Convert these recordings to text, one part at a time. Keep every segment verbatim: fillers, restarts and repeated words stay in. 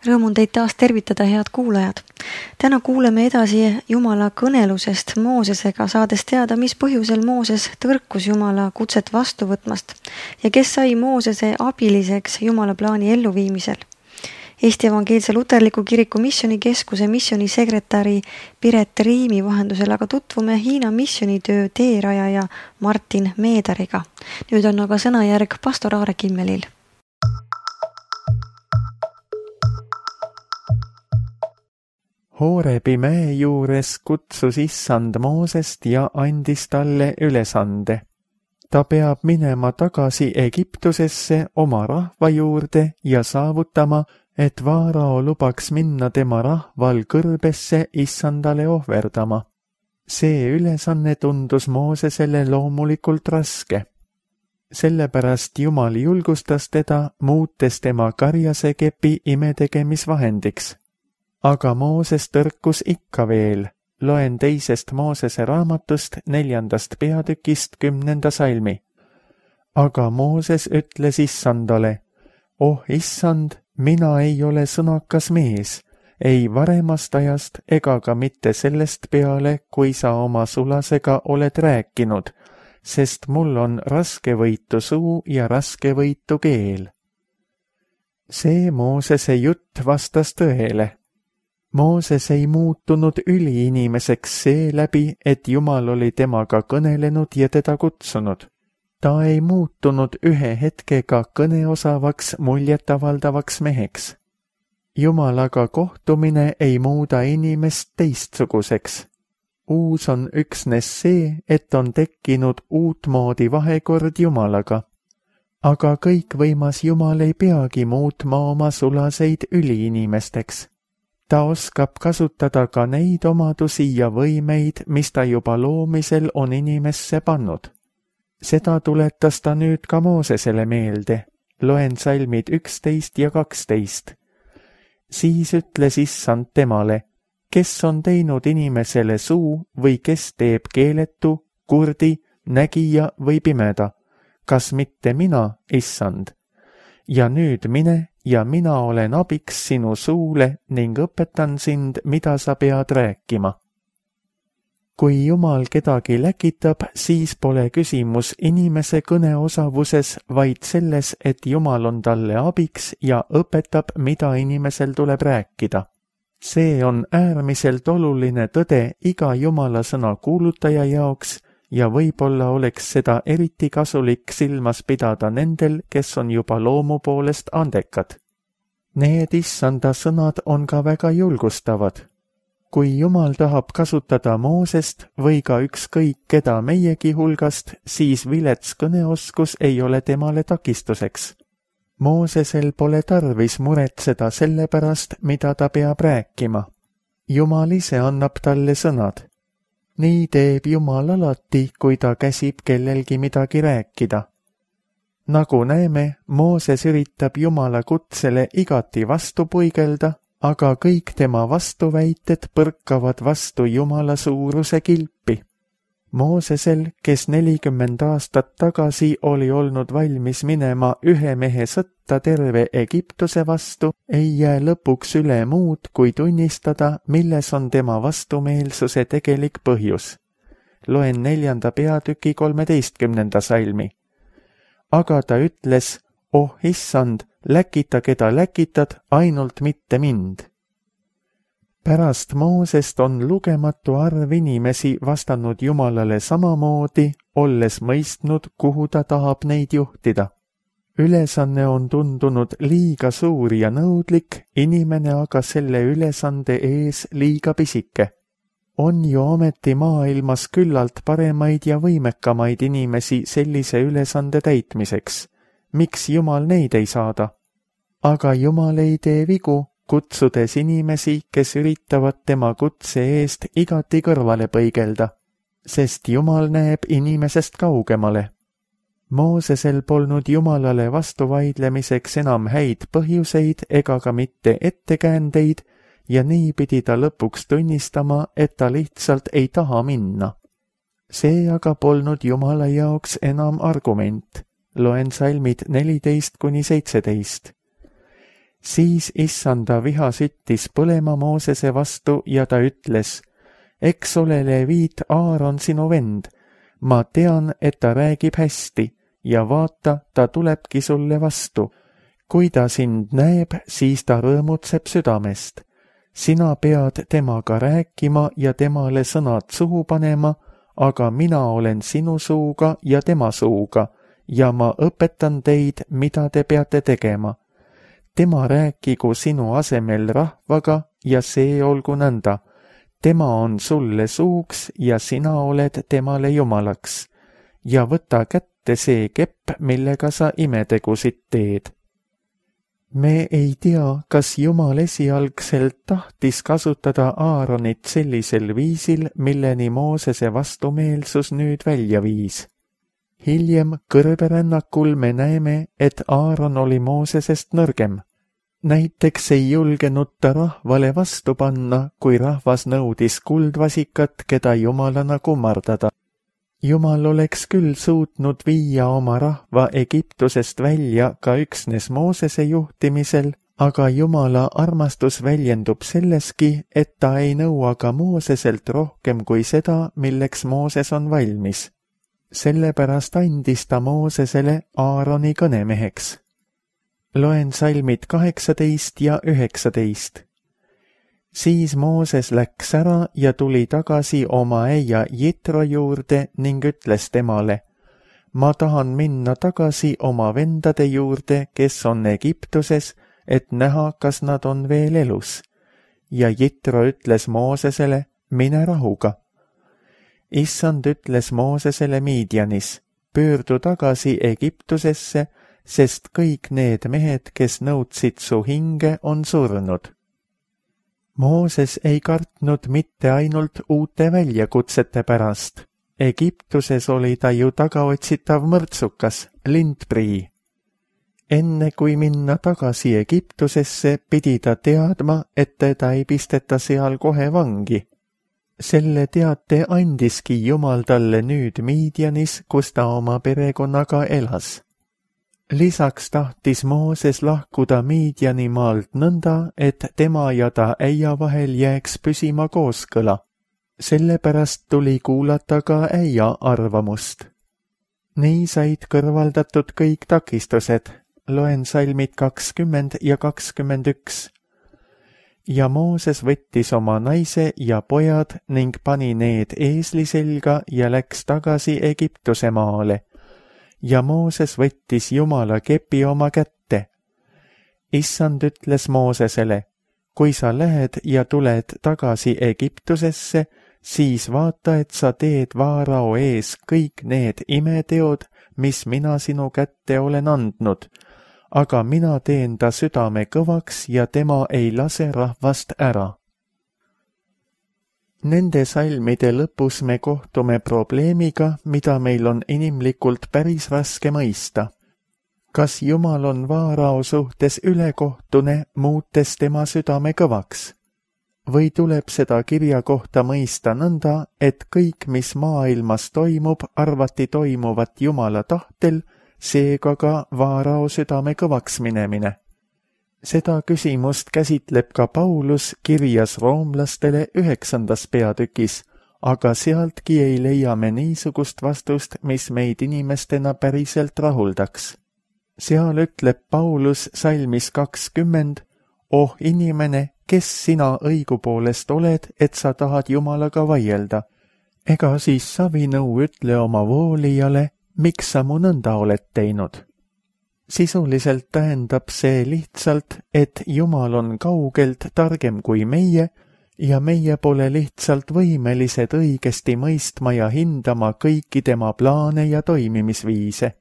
Rõõm on teid taas tervitada, head kuulajad. Täna kuuleme edasi Jumala kõnelusest Moosesega, saades teada, mis põhjusel Mooses tõrkus Jumala kutset vastu võtmast ja kes sai Moosese abiliseks Jumala plaani elluviimisel. Eesti Evangeelse Luterliku Kiriku Missionikeskuse missionisekretäri Piret Riimi vahendusel aga tutvume Hiina missionitöö teerajaja Martin Meedariga. Nüüd on aga sõnajärg pastor Aare Kimmelil. Hoorebi mäe juures kutsus issand Moosest ja andis talle ülesande. Ta peab minema tagasi Egiptusesse oma rahva juurde ja saavutama, et Vaarao lubaks minna tema rahval kõrbesse issandale ohverdama. See ülesanne tundus Moosesele loomulikult raske. Sellepärast Jumal julgustas teda, muutes tema karjase kepi imetegemisvahendiks. Aga Mooses tõrkus ikka veel. Loen teisest Moosese raamatust neljandast peatükist kümnenda salmi. Aga Mooses ütles issandale, oh issand, mina ei ole sõnakas mees, ei varemast ajast ega ka mitte sellest peale, kui sa oma sulasega oled rääkinud, sest mul on raskevõitu suu ja raskevõitu keel. See Moosese jutt vastas tõele. Mooses ei muutunud üliinimeseks seeläbi, et Jumal oli temaga kõnelenud ja teda kutsunud. Ta ei muutunud ühe hetkega kõneosavaks muljetavaldavaks meheks. Jumalaga kohtumine ei muuda inimest teistsuguseks. Uus on üksnes see, et on tekkinud uutmoodi vahekord Jumalaga. Aga kõikvõimas Jumal ei peagi muutma oma sulaseid üliinimesteks. Ta oskab kasutada ka neid omadusi ja võimeid, mis ta juba loomisel on inimesse pannud. Seda tuletas ta nüüd ka Moosesele meelde. Loen salmid üksteist ja kaksteist. Siis ütles issand temale, kes on teinud inimesele suu või kes teeb keeletu, kurdi, nägija või pimeda? Kas mitte mina, issand? Ja nüüd mine ja mina olen abiks sinu suule ning õpetan sind, mida sa pead rääkima. Kui Jumal kedagi läkitab, siis pole küsimus inimese kõneosavuses, vaid selles, et Jumal on talle abiks ja õpetab, mida inimesel tuleb rääkida. See on äärmiselt oluline tõde iga Jumala sõna kuulutaja jaoks ja võib-olla oleks seda eriti kasulik silmas pidada nendel, kes on juba loomu poolest andekad. Need issanda sõnad on ka väga julgustavad. Kui Jumal tahab kasutada Moosest või ka ükskõik keda meiegi hulgast, siis vilets kõneoskus ei ole temale takistuseks. Moosesel pole tarvis muretseda selle pärast, mida ta peab rääkima. Jumal ise annab talle sõnad. Nii teeb Jumal alati, kui ta käsib kellelgi midagi rääkida. Nagu näeme, Mooses üritab Jumala kutsele igati vastu puigelda, aga kõik tema vastuväited põrkavad vastu Jumala suuruse kilpi. Moosesel, kes nelikümmend aastat tagasi oli olnud valmis minema ühe mehe sõtta terve Egiptuse vastu, ei jää lõpuks üle muud, kui tunnistada, milles on tema vastumeelsuse tegelik põhjus. Loen neljanda peatüki kolmeteistkümnenda salmi. Aga ta ütles, oh issand, läkita keda läkitad, ainult mitte mind. Pärast Moosest on lugematu arv inimesi vastanud Jumalale samamoodi, olles mõistnud, kuhu ta tahab neid juhtida. Ülesanne on tundunud liiga suur ja nõudlik, inimene aga selle ülesande ees liiga pisike. On ju ometi maailmas küllalt paremaid ja võimekamaid inimesi sellise ülesande täitmiseks. Miks Jumal neid ei saada? Aga Jumal ei tee vigu, kutsudes inimesi, kes üritavad tema kutse eest igati kõrvale põigelda, sest Jumal näeb inimesest kaugemale. Moosesel polnud Jumalale vastu vaidlemiseks enam häid põhjuseid ega ka mitte ettekäändeid ja nii pidi ta lõpuks tunnistama, et ta lihtsalt ei taha minna. See aga polnud Jumala jaoks enam argument. Loen salmid neliteist kuni seitseteist. Siis issanda viha süttis põlema Moosese vastu ja ta ütles, eks ole Leviit Aaron sinu vend, ma tean, et ta räägib hästi ja vaata, ta tulebki sulle vastu. Kui ta sind näeb, siis ta rõõmutseb südamest. Sina pead temaga rääkima ja temale sõnad suhu panema, aga mina olen sinu suuga ja tema suuga ja ma õpetan teid, mida te peate tegema. Tema rääkigu sinu asemel rahvaga ja see olgu nõnda. Tema on sulle suuks ja sina oled temale jumalaks. Ja võta kätte see kepp, millega sa imetegusid teed. Me ei tea, kas Jumal esialgselt tahtis kasutada Aaronit sellisel viisil, milleni Moosese vastumeelsus nüüd välja viis. Hiljem kõrberännakul me näeme, et Aaron oli Moosesest nõrgem. Näiteks ei julgenud ta rahvale vastu panna, kui rahvas nõudis kuldvasikat, keda jumalana kummardada. Jumal oleks küll suutnud viia oma rahva Egiptusest välja ka üksnes Moosese juhtimisel, aga Jumala armastus väljendub selleski, et ta ei nõua ka Mooseselt rohkem kui seda, milleks Mooses on valmis. Sellepärast andis ta Moosesele Aaroni kõnemeheks. Loen salmid kaheksateist ja üheksateist. Siis Mooses läks ära ja tuli tagasi oma äia Jitro juurde ning ütles temale, ma tahan minna tagasi oma vendade juurde, kes on Egiptuses, et näha, kas nad on veel elus. Ja Jitro ütles Moosesele, mine rahuga. Issand ütles Moosesele Midianis, pöördu tagasi Egiptusesse, sest kõik need mehed, kes nõudsid su hinge, on surnud. Mooses ei kartnud mitte ainult uute väljakutsete pärast. Egiptuses oli ta ju tagaotsitav mõrtsukas, lindprii. Enne kui minna tagasi Egiptusesse, pidi ta teadma, et teda ei pisteta seal kohe vangi. Selle teate andiski Jumal talle nüüd Midianis, kus ta oma perekonnaga elas. Lisaks tahtis Mooses lahkuda Midiani maalt nõnda, et tema ja ta äia vahel jääks püsima kooskõla. Sellepärast tuli kuulata ka äia arvamust. Nii said kõrvaldatud kõik takistused. Loen salmid kakskümmend ja kakskümmend üks. Ja Mooses võttis oma naise ja pojad ning pani need eesli selga ja läks tagasi Egiptuse maale. Ja Mooses võttis Jumala kepi oma kätte. Issand ütles Moosesele, kui sa lähed ja tuled tagasi Egiptusesse, siis vaata, et sa teed Vaarao ees kõik need imeteod, mis mina sinu kätte olen andnud, aga mina teen ta südame kõvaks ja tema ei lase rahvast ära. Nende salmide lõpus me kohtume probleemiga, mida meil on inimlikult päris raske mõista. Kas Jumal on Vaarao suhtes ülekohtune, muutes tema südame kõvaks? Või tuleb seda kirja kohta mõista nõnda, et kõik, mis maailmas toimub, arvati toimuvat Jumala tahtel, seega ka Vaarao südame kõvaks minemine? Seda küsimust käsitleb ka Paulus kirjas roomlastele üheksandas peatükis, aga sealtki ei leia me niisugust vastust, mis meid inimestena päriselt rahuldaks. Seal ütleb Paulus salmis kakskümmend, oh inimene, kes sina õigupoolest oled, et sa tahad Jumalaga vaielda? Ega siis savinõu ütle oma voolijale, miks sa mu nõnda oled teinud? Sisuliselt tähendab see lihtsalt, et Jumal on kaugelt targem kui meie ja meie pole lihtsalt võimelised õigesti mõistma ja hindama kõiki tema plaane ja toimimisviise.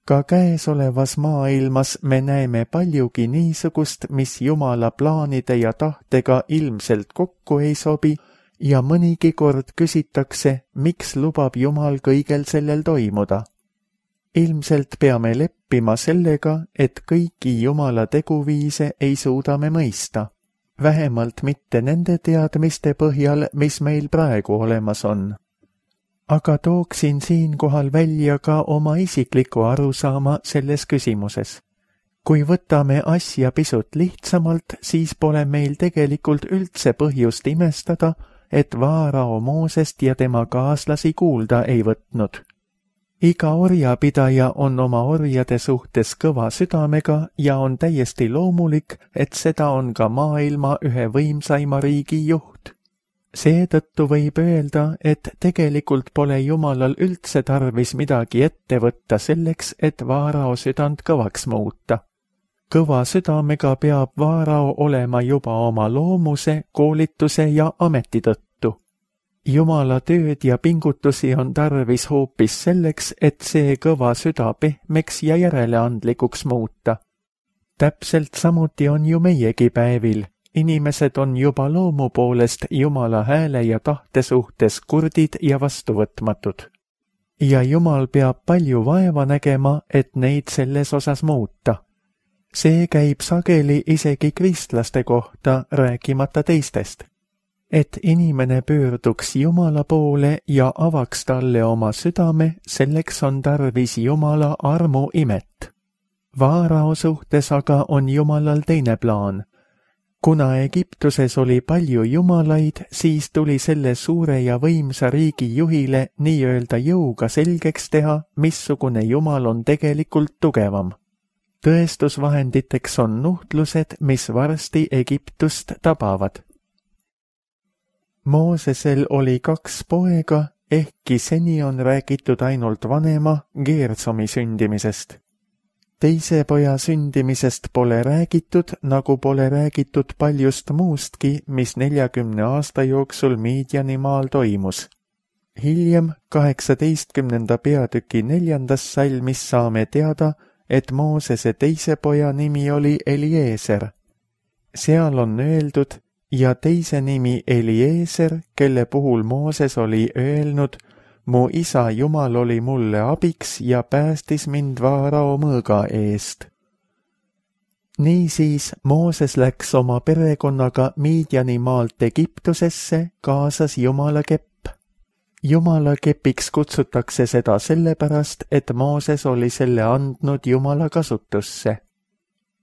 Ka käesolevas maailmas me näeme paljugi niisugust, mis Jumala plaanide ja tahtega ilmselt kokku ei sobi ja mõnigi kord küsitakse, miks lubab Jumal kõigel sellel toimuda. Ilmselt peame leppima sellega, et kõiki Jumala teguviise ei suuda me mõista, vähemalt mitte nende teadmiste põhjal, mis meil praegu olemas on. Aga tooksin siinkohal välja ka oma isikliku arusaama selles küsimuses. Kui võtame asja pisut lihtsamalt, siis pole meil tegelikult üldse põhjust imestada, et Vaarao Moosest ja tema kaaslasi kuulda ei võtnud. Iga orjapidaja on oma orjade suhtes kõva südamega ja on täiesti loomulik, et seda on ka maailma ühe võimsaima riigi juht. Seetõttu võib öelda, et tegelikult pole Jumalal üldse tarvis midagi ette võtta selleks, et Vaarao südant kõvaks muuta. Kõva südamega peab Vaarao olema juba oma loomuse, koolituse ja ameti tõttu. Jumala tööd ja pingutusi on tarvis hoopis selleks, et see kõva süda pehmeks ja järeleandlikuks muuta. Täpselt samuti on ju meiegi päevil. Inimesed on juba loomu poolest Jumala hääle ja tahte suhtes kurdid ja vastuvõtmatud. Ja Jumal peab palju vaeva nägema, et neid selles osas muuta. See käib sageli isegi kristlaste kohta, rääkimata teistest. Et inimene pöörduks Jumala poole ja avaks talle oma südame, selleks on tarvis Jumala armu imet. Vaarao suhtes aga on Jumalal teine plaan. Kuna Egiptuses oli palju jumalaid, siis tuli selle suure ja võimsa riigi juhile nii-öelda jõuga selgeks teha, missugune Jumal on tegelikult tugevam. Tõestusvahenditeks on nuhtlused, mis varsti Egiptust tabavad. Moosesel oli kaks poega, ehkki seni on räägitud ainult vanema Geersomi sündimisest. Teise poja sündimisest pole räägitud, nagu pole räägitud paljust muustki, mis neljakümne aasta jooksul Miidjanimaal toimus. Hiljem kaheksateistkümnenda peatüki neljandas salmis saame teada, et Moosese teise poja nimi oli Eliezer. Seal on öeldud, ja teise nimi Eliezer, kelle puhul Mooses oli öelnud, mu isa Jumal oli mulle abiks ja päästis mind Vaarao mõõga eest. Niisiis Mooses läks oma perekonnaga Miidjanimaalt Egiptusesse, kaasas Jumala kepp. Jumala kepiks kutsutakse seda sellepärast, et Mooses oli selle andnud Jumala kasutusse.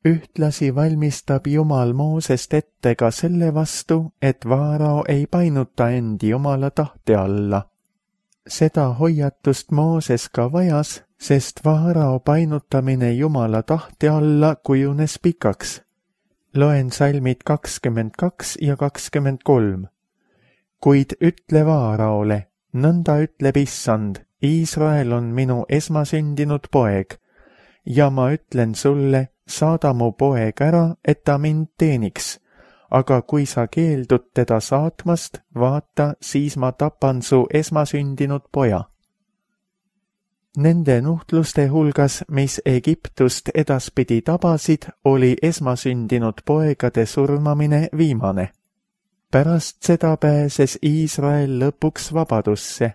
Ühtlasi valmistab Jumal Moosest ette ka selle vastu, et Vaarao ei painuta end Jumala tahte alla. Seda hoiatust Mooses ka vajas, sest Vaarao painutamine Jumala tahte alla kujunes pikaks. Loen salmid kakskümmend kaks ja kakskümmend kolm. Kuid ütle Vaaraole, nõnda ütleb Issand, Iisrael on minu esmasündinud poeg, ja ma ütlen sulle, saada mu poeg ära, et ta mind teeniks, aga kui sa keeldud teda saatmast, vaata, siis ma tapan su esmasündinud poja. Nende nuhtluste hulgas, mis Egiptust edaspidi tabasid, oli esmasündinud poegade surmamine viimane. Pärast seda pääses Iisrael lõpuks vabadusse.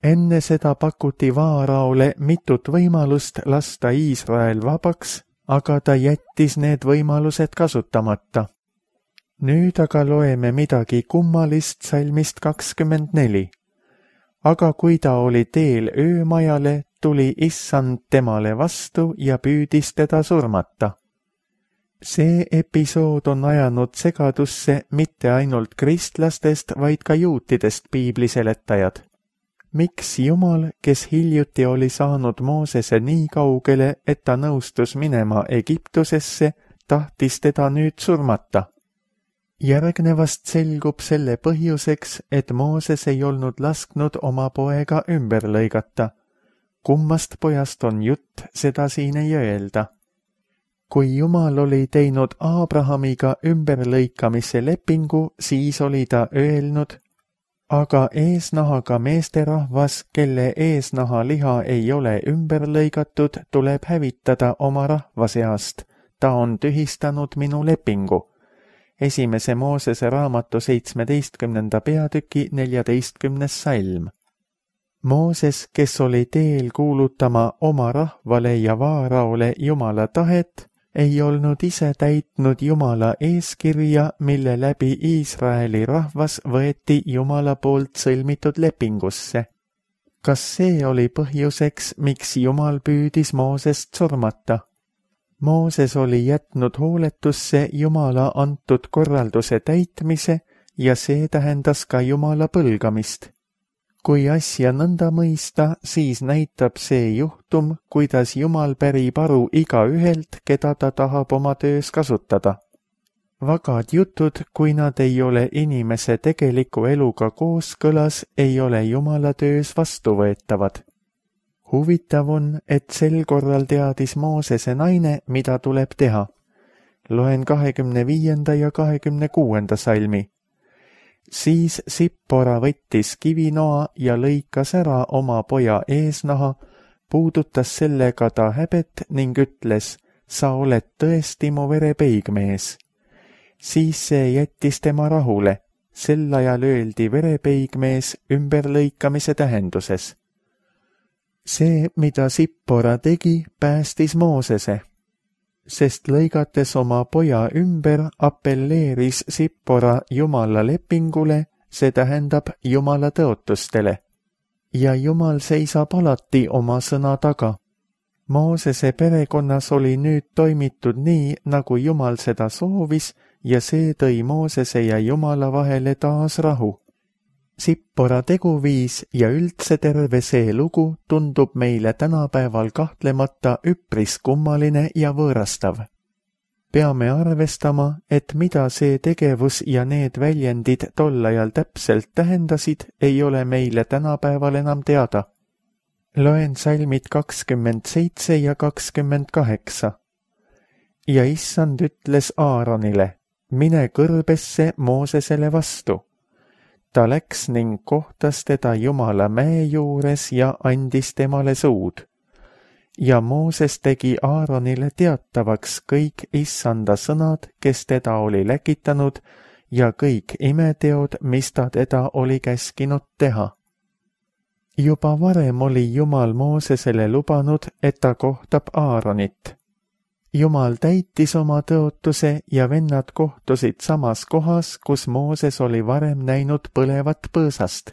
Enne seda pakuti Vaaraole mitut võimalust lasta Iisrael vabaks, aga ta jättis need võimalused kasutamata. Nüüd aga loeme midagi kummalist salmist kakskümmend neli. Aga kui ta oli teel öömajale, tuli Issand temale vastu ja püüdis teda surmata. See episood on ajanud segadusse mitte ainult kristlastest, vaid ka juutidest piibliseletajad. Miks Jumal, kes hiljuti oli saanud Moosese nii kaugele, et ta nõustus minema Egiptusesse, tahtis teda nüüd surmata? Järgnevast selgub selle põhjuseks, et Mooses ei olnud lasknud oma poega ümber lõigata. Kummast pojast on jutt, seda siin ei öelda. Kui Jumal oli teinud Abrahamiga ümberlõikamise lepingu, siis oli ta öelnud, aga eesnahaga meesterahvas, kelle eesnaha liha ei ole ümber lõigatud, tuleb hävitada oma rahva seast. Ta on tühistanud minu lepingu. Esimese Moosese raamatu seitsmeteistkümnenda peatüki neljateistkümnes salm. Mooses, kes oli teel kuulutama oma rahvale ja Vaaraole Jumala tahet, ei olnud ise täitnud Jumala eeskirja, mille läbi Iisraeli rahvas võeti Jumala poolt sõlmitud lepingusse. Kas see oli põhjuseks, miks Jumal püüdis Moosest surmata? Mooses oli jätnud hooletusse Jumala antud korralduse täitmise ja see tähendas ka Jumala põlgamist. Kui asja nõnda mõista, siis näitab see juhtum, kuidas Jumal pärib aru igaühelt, keda ta tahab oma töös kasutada. Vagad jutud, kui nad ei ole inimese tegeliku eluga kooskõlas, ei ole Jumala töös vastuvõetavad. Huvitav on, et sel korral teadis Moosese naine, mida tuleb teha. Loen kahekümne viienda ja kahekümne kuuenda salmi. Siis Sippora võttis kivinoa ja lõikas ära oma poja eesnaha, puudutas sellega ta häbet ning ütles, sa oled tõesti mu verepeigmees. Siis see jättis tema rahule, sel ajal öeldi verepeigmees ümberlõikamise tähenduses. See, mida Sippora tegi, päästis Moosese, sest lõigates oma poja ümber appelleeris Sippora Jumala lepingule, see tähendab Jumala tõotustele. Ja Jumal seisab alati oma sõna taga. Moosese perekonnas oli nüüd toimitud nii, nagu Jumal seda soovis, ja see tõi Moosese ja Jumala vahele taas rahu. Sippora teguviis ja üldse terve see lugu tundub meile tänapäeval kahtlemata üpris kummaline ja võõrastav. Peame arvestama, et mida see tegevus ja need väljendid tol ajal täpselt tähendasid, ei ole meile tänapäeval enam teada. Loen salmid kakskümmend seitse ja kakskümmend kaheksa. Ja issand ütles Aaronile, mine kõrbesse Moosesele vastu. Ta läks ning kohtas teda Jumala mäe juures ja andis temale suud. Ja Mooses tegi Aaronile teatavaks kõik issanda sõnad, kes teda oli läkitanud, ja kõik imeteod, mis ta teda oli käskinud teha. Juba varem oli Jumal Moosesele lubanud, et ta kohtab Aaronit. Jumal täitis oma tõotuse ja vennad kohtusid samas kohas, kus Mooses oli varem näinud põlevat põõsast.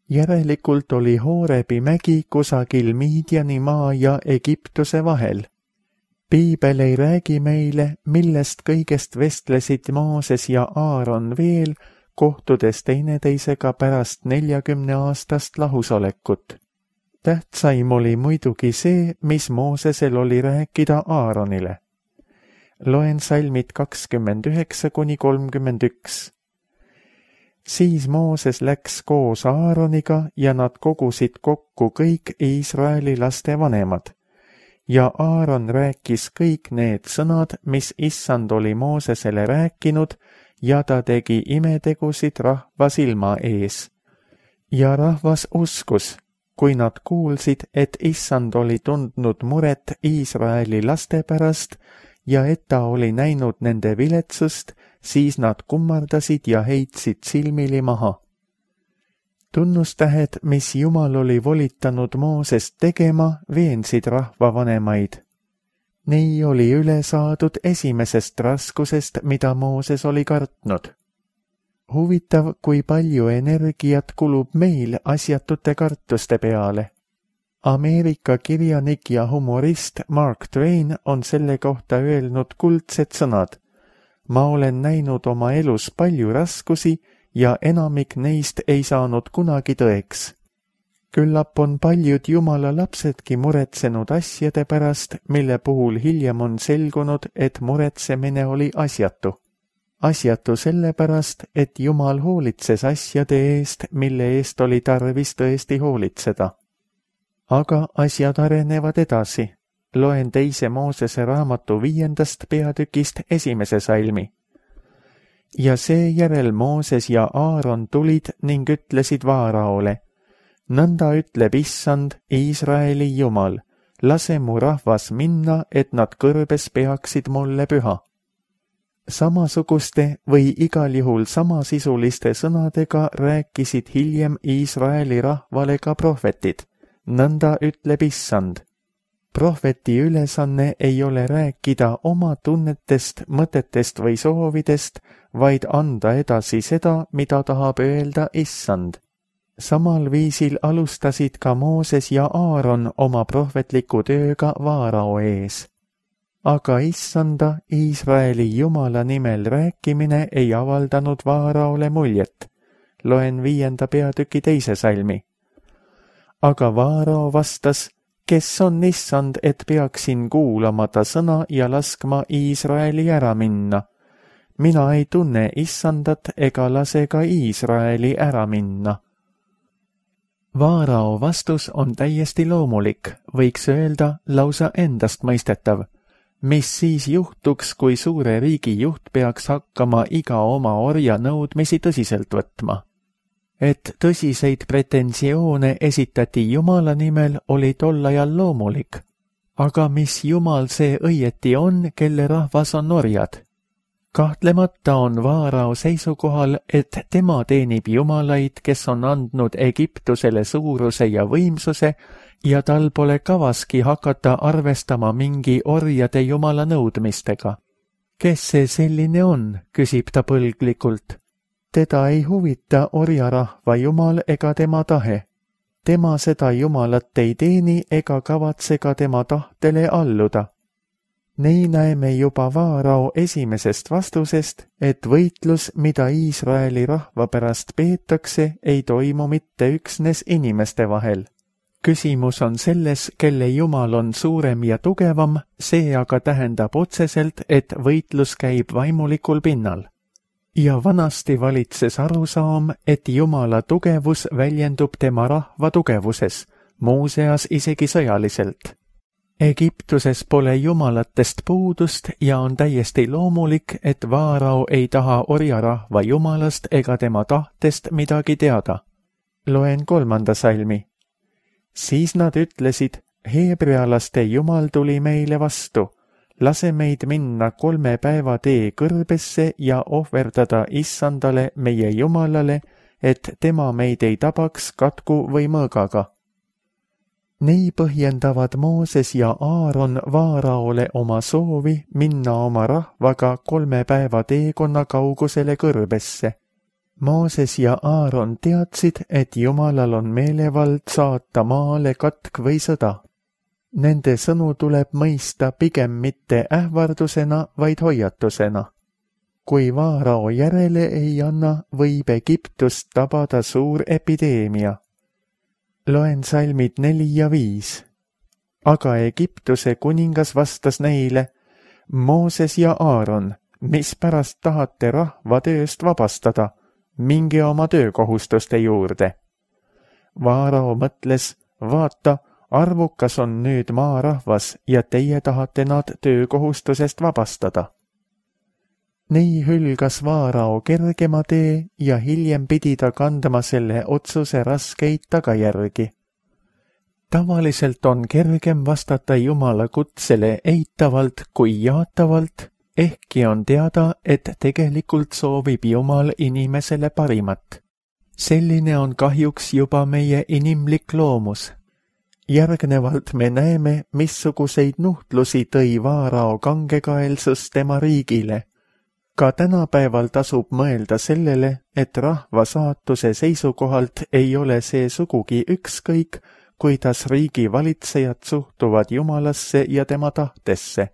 Järelikult oli Hoorebi mägi kusagil Midiani maa ja Egiptuse vahel. Piibel ei räägi meile, millest kõigest vestlesid Mooses ja Aaron veel, kohtudes teineteisega pärast neljakümne aastast lahusolekut. Tähtsaim oli muidugi see, mis Moosesel oli rääkida Aaronile. Loen salmid kakskümmend üheksa kuni kolmkümmend üks. Siis Mooses läks koos Aaroniga ja nad kogusid kokku kõik Iisraeli laste vanemad. Ja Aaron rääkis kõik need sõnad, mis issand oli Moosesele rääkinud, ja ta tegi imetegusid rahva silma ees. Ja rahvas uskus, kui nad kuulsid, et issand oli tundnud muret Iisraeli laste pärast ja et ta oli näinud nende viletsust, siis nad kummardasid ja heitsid silmili maha. Tunnustähed, mis Jumal oli volitanud Moosest tegema, veensid rahvavanemaid. Nii oli üle saadud esimesest raskusest, mida Mooses oli kartnud. Huvitav, kui palju energiat kulub meil asjatute kartuste peale. Ameerika kirjanik ja humorist Mark Twain on selle kohta öelnud kuldsed sõnad. Ma olen näinud oma elus palju raskusi ja enamik neist ei saanud kunagi tõeks. Küllap on paljud Jumala lapsedki muretsenud asjade pärast, mille puhul hiljem on selgunud, et muretsemine oli asjatu. Asjatu sellepärast, et Jumal hoolitses asjade eest, mille eest oli tarvis tõesti hoolitseda. Aga asjad arenevad edasi. Loen teise Moosese raamatu viiendast peatükist esimese salmi. Ja seejärel Mooses ja Aaron tulid ning ütlesid Vaaraole, nõnda ütleb issand, Iisraeli Jumal, lase mu rahvas minna, et nad kõrbes peaksid mulle püha. Samasuguste või igal juhul samasisuliste sõnadega rääkisid hiljem Iisraeli rahvale ka prohvetid. Nõnda ütleb issand. Prohveti ülesanne ei ole rääkida oma tunnetest, mõtetest või soovidest, vaid anda edasi seda, mida tahab öelda issand. Samal viisil alustasid ka Mooses ja Aaron oma prohvetliku tööga Vaarao ees. aga issanda Iisraeli Jumala nimel rääkimine ei avaldanud Vaaraole muljet. Loen viienda peatüki teise salmi. Aga Vaarao vastas, kes on issand, et peaksin kuulama ta sõna ja laskma Iisraeli ära minna. Mina ei tunne issandat ega lase ka Iisraeli ära minna. Vaarao vastus on täiesti loomulik, võiks öelda lausa endastmõistetav. Mis siis juhtuks, kui suure riigi juht peaks hakkama iga oma orja nõudmisi tõsiselt võtma? Et tõsiseid pretensioone esitati Jumala nimel, oli tol ajal loomulik. Aga mis Jumal see õieti on, kelle rahvas on orjad? Kahtlemata on Vaarao seisukohal, et tema teenib jumalaid, kes on andnud Egiptusele suuruse ja võimsuse ja tal pole kavaski hakata arvestama mingi orjade jumala nõudmistega. Kes see selline on, küsib ta põlglikult. Teda ei huvita orjarahva jumal ega tema tahe. Tema seda jumalat ei teeni ega kavatse ka tema tahtele alluda. Nii näeme juba Vaarao esimesest vastusest, et võitlus, mida Iisraeli rahva pärast peetakse, ei toimu mitte üksnes inimeste vahel. Küsimus on selles, kelle jumal on suurem ja tugevam, see aga tähendab otseselt, et võitlus käib vaimulikul pinnal. Ja vanasti valitses arusaam, et Jumala tugevus väljendub tema rahva tugevuses, muuseas isegi sõjaliselt. Egiptuses pole jumalatest puudust ja on täiesti loomulik, et Vaarao ei taha orjarahva jumalast ega tema tahtest midagi teada. Loen kolmanda salmi. Siis nad ütlesid, heebrealaste jumal tuli meile vastu. Lase meid minna kolme päeva tee kõrbesse ja ohverdada issandale meie jumalale, et tema meid ei tabaks katku või mõõgaga. Nii põhjendavad Mooses ja Aaron Vaaraole oma soovi minna oma rahvaga kolme päeva teekonna kaugusele kõrbesse. Mooses ja Aaron teadsid, et Jumalal on meelevald saata maale katk või sõda. Nende sõnu tuleb mõista pigem mitte ähvardusena, vaid hoiatusena. Kui Vaarao järele ei anna, võib Egiptust tabada suur epideemia. Loen salmid neli ja viis. Aga Egiptuse kuningas vastas neile, Mooses ja Aaron, mis pärast tahate rahva tööst vabastada, minge oma töökohustuste juurde. Vaarao mõtles, vaata, arvukas on nüüd maarahvas ja teie tahate nad töökohustusest vabastada. Nii hülgas Vaarao kergema tee ja hiljem pidi ta kandma selle otsuse raskeid tagajärgi. Tavaliselt on kergem vastata Jumala kutsele eitavalt kui jaatavalt, ehkki on teada, et tegelikult soovib Jumal inimesele parimat. Selline on kahjuks juba meie inimlik loomus. Järgnevalt me näeme, missuguseid nuhtlusi tõi Vaarao kangekaelsus tema riigile. Ka tänapäeval tasub mõelda sellele, et rahva saatuse seisukohalt ei ole see sugugi ükskõik, kuidas riigi valitsejad suhtuvad Jumalasse ja tema tahtesse.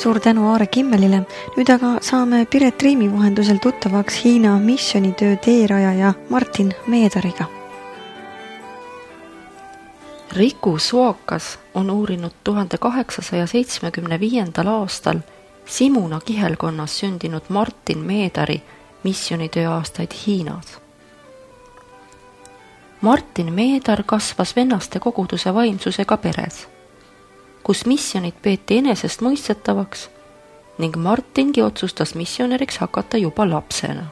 Suur tänu Aare Kimmelile. Nüüd aga saame Piret Riimi vahendusel tuttavaks Hiina missionitöö teerajaja Martin Meedariga. Riku Suokas on uurinud tuhande kaheksasaja seitsmekümne viiendal aastal Simuna kihelkonnas sündinud Martin Meedari missionitöö aastaid Hiinas. Martin Meedar kasvas vennaste koguduse vaimsusega peres, kus missionid peeti enesest mõistetavaks ning Martingi otsustas missionäriks hakata juba lapsena.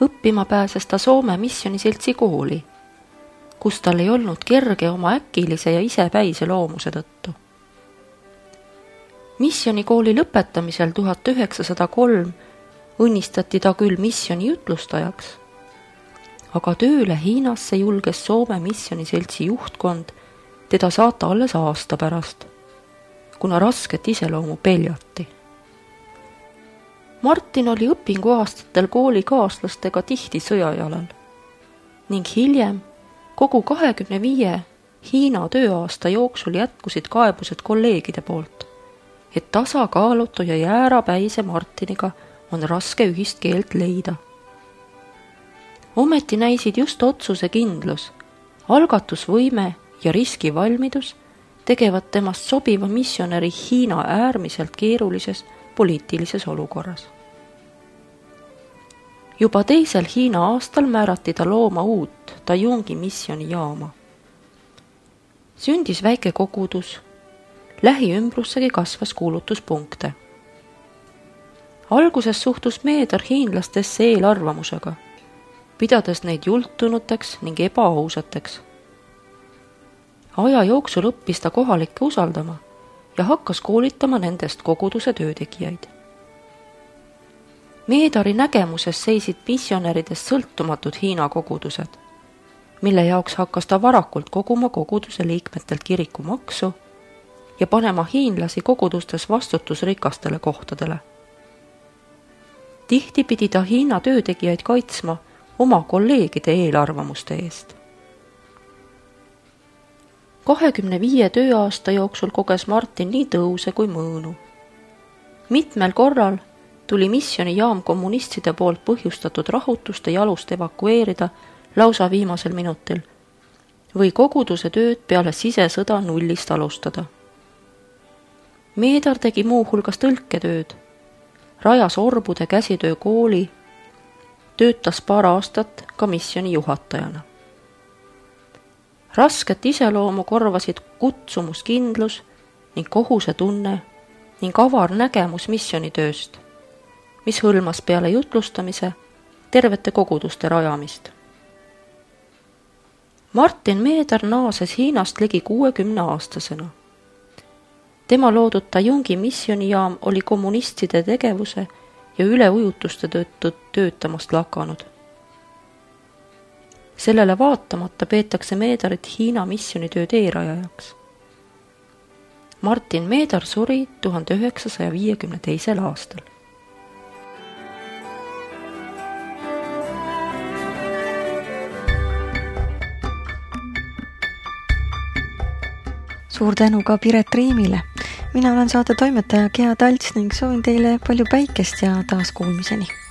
Õppima pääses ta Soome missioniseltsi kooli, kus tal ei olnud kerge oma äkilise ja isepäise loomuse tõttu. Missionikooli lõpetamisel tuhat üheksasada kolm õnnistati ta küll missioni jutlustajaks, aga tööle Hiinasse julges Soome missioniseltsi juhtkond teda saata alles aasta pärast, kuna rasket iseloomu peljati. Martin oli õpinguaastatel koolikaaslastega tihti sõjajalal ning hiljem kogu kahekümne viie Hiina tööaasta jooksul jätkusid kaebused kolleegide poolt, et tasakaalutu ja jäärapäise Martiniga on raske ühist keelt leida. Ometi näisid just otsusekindlus, algatusvõime ja riskivalmidus tegevad temast sobiva missionäri Hiina äärmiselt keerulises poliitilises olukorras. Juba teisel Hiina aastal määrati ta looma uut Tajungi missionijaama. Sündis väike kogudus, lähiümbrussegi kasvas kuulutuspunkte. Alguses suhtus Meedar hiinlastesse eelarvamusega, pidades neid jultunuteks ning ebaausateks. Aja jooksul õppis ta kohalikke usaldama ja hakkas koolitama nendest koguduse töötegijaid. Meedari nägemuses seisid missionäridest sõltumatud Hiina kogudused, mille jaoks hakkas ta varakult koguma koguduse liikmetelt kirikumaksu ja panema hiinlasi kogudustes vastutusrikastele kohtadele. Tihti pidi ta Hiina töötegijaid kaitsma oma kolleegide eelarvamuste eest. kahekümne viie tööaasta jooksul koges Martin nii tõuse kui mõõnu. Mitmel korral tuli missionijaam kommunistide poolt põhjustatud rahutuste jalust evakueerida lausa viimasel minutil või koguduse tööd peale sisesõda nullist alustada. Meedar tegi muuhulgas tõlketööd, rajas orbude käsitöö kooli, töötas paar aastat ka missioni juhatajana. Rasket iseloomu korvasid kutsumuskindlus ning kohusetunne ning avar nägemus missionitööst, mis hõlmas peale jutlustamise tervete koguduste rajamist. Martin Meedar naases Hiinast ligi kuuekümne aastasena. Tema loodud Tajungi missionijaam oli kommunistide tegevuse ja üleujutuste tõttu töötamast lakanud. Sellele vaatamata peetakse Meedarit Hiina missionitöö teerajajaks. Martin Meedar suri tuhande üheksasaja viiekümne teisel aastal. Suur tänu ka Piret Riimile. Mina olen saate toimetaja Gea Talts ning soovin teile palju päikest ja taas kuulmiseni.